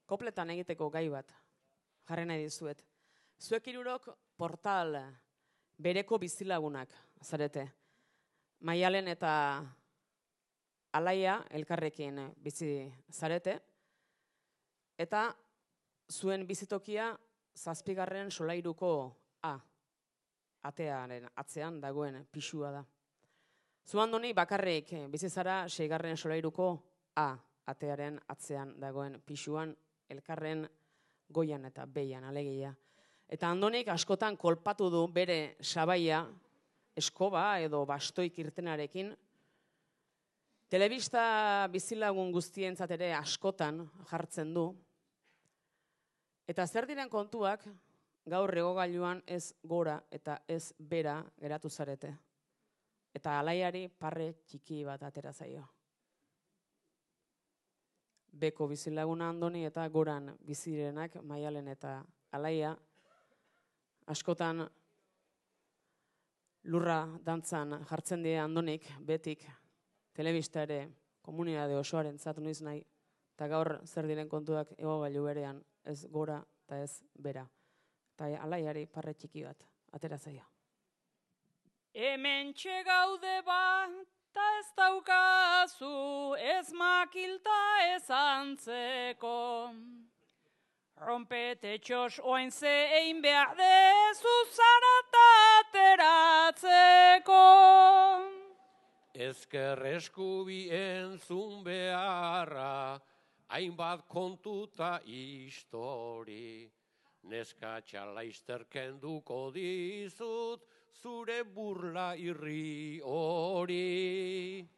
kopletan egiteko gai bat jarri nahi dizuet. Zuek hirurok portal bereko bizilagunak zarete. Maialen eta Alaia elkarrekin bizi zarete. Eta zuen bizitokia 7. solairuko atearen atzean dagoen pisua da. Zu Andoni bakarrik bizi zara 6. solairuko atearen atzean dagoen pisuan, elkarren goian eta behian alegia. Eta Andonik askotan kolpatu du bere sabaia, eskoba edo bastoik irtenarekin. Telebista bizilagun guztientzat ere askotan jartzen du. Eta zer diren kontuak gaur igogailuan ez gora eta ez bera geratu zarete. Eta Alaiari parre txiki bat atera zaio. Beko bizilaguna Andoni eta goran bizirenak Maialen eta Alaia askotan lurra dantzan jartzen die Andonik betik telebista ere komunitate osoaren zat noiz nahi eta gaur zer diren kontuak igogailu berean ez gora eta ez bera. Eta Alaiari parre txiki bat atera zaio. Hemen txegaude bat, ta ez daukazu, ez makilta ez antzeko. Rompetetxos oain ze egin behar dezu zarata ateratzeko. Ezker eskubi entzun beharra, hainbat kontuta histori. Neska txalaister kenduko dizut, zure burla irri hori.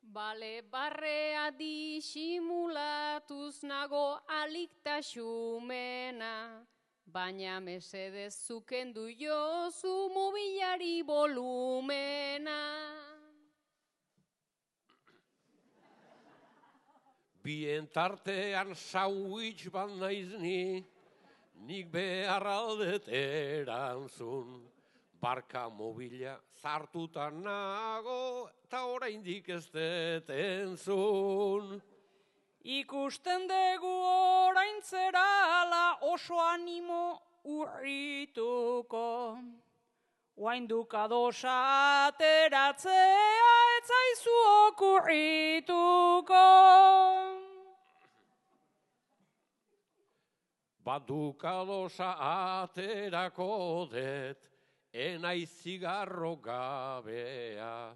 Bale barrea disimulatuz nago aliktaxumena, baina mesedez zukendu jozu mobilari volumena. Bien tartean sandwich bat naiz ni, nik behar aldet erantzun. Barka mobila zartuta nago, eta oraindik ez dut entzun. Ikusten dugu orain zerala oso animo urrituko. Oainduk adosa ateratzea ez zaizu okurrituko. Baduk adosa aterako det, enaiz zigarro gabea.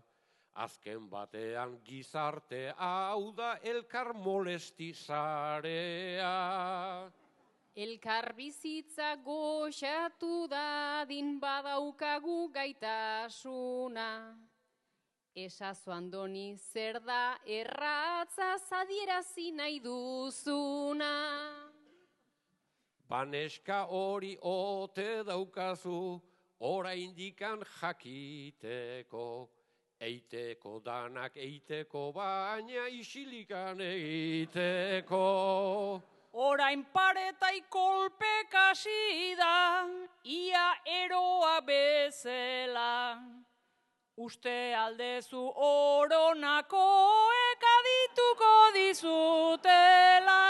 Azken batean gizarte hau da elkar molesti zarea. Elkar bizitza goxatu dadin badaukagu gaitasuna. Esazu Andoni zer da erratza adierazi nahi duzuna. Baneska hori ote daukazu, oraindikan jakiteko. Eiteko danak eiteko, baina isilikan egiteko. Orain paretai kolpek hasi da, ia eroa bezala. Uste aldezu oronakoek adituko dizutela.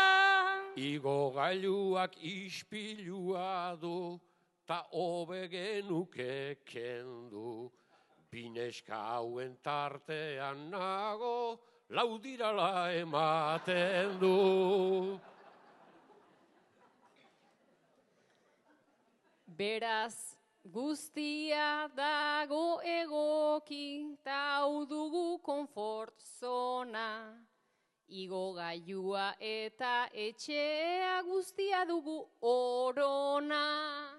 Igo gailuak ispilua du, ta hobe genuke kendu. Bineska hauen tartean nago, laudirala ematen du. Beraz, guztia dago egoki, ta hau dugu konfort zona. Igo gailua eta etxea guztia dugu orona.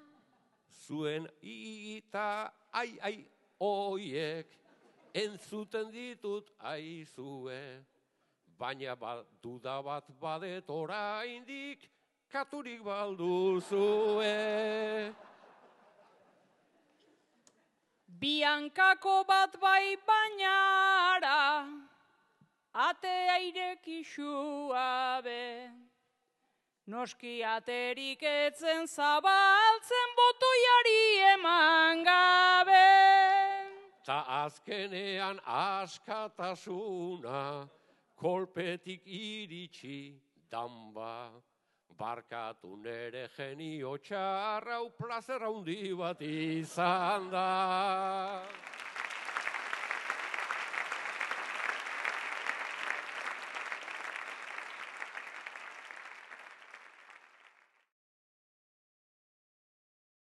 Zuen ita, ai, oiek, entzuten ditut aizue. Baina duda bat badet oraindik, katurik balduzue. Biankako bat bai bainara, atea irekixua be. Noski aterik etzen zabaltzen botoiari eman gabe. Ta azkenean askatasuna, kolpetik iritsi danba. barkatu nere genio txarra, hau plazer handi bat izan da.